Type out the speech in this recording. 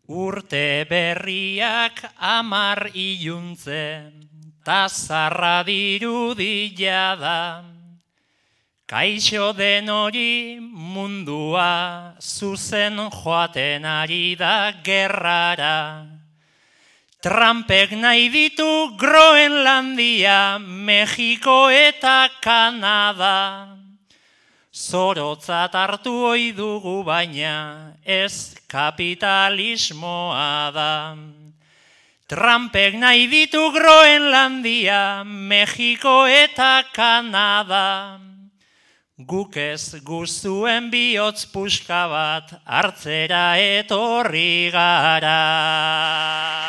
Urte berriak 10 iluntze, ta zarra dirudia da. Kaixo den hori mundua, zuzen joaten ari da gerrara. Trumpek nahi ditu Groenlandia, Mexiko eta Kanada. Zorotzat hartu ohi dugu baina ez kapitalismoa da. Trumpek nahi ditu Groenlandia, Mexiko eta Kanada. Guk ez guztuen bihotz puska bat hartzera etorri gara.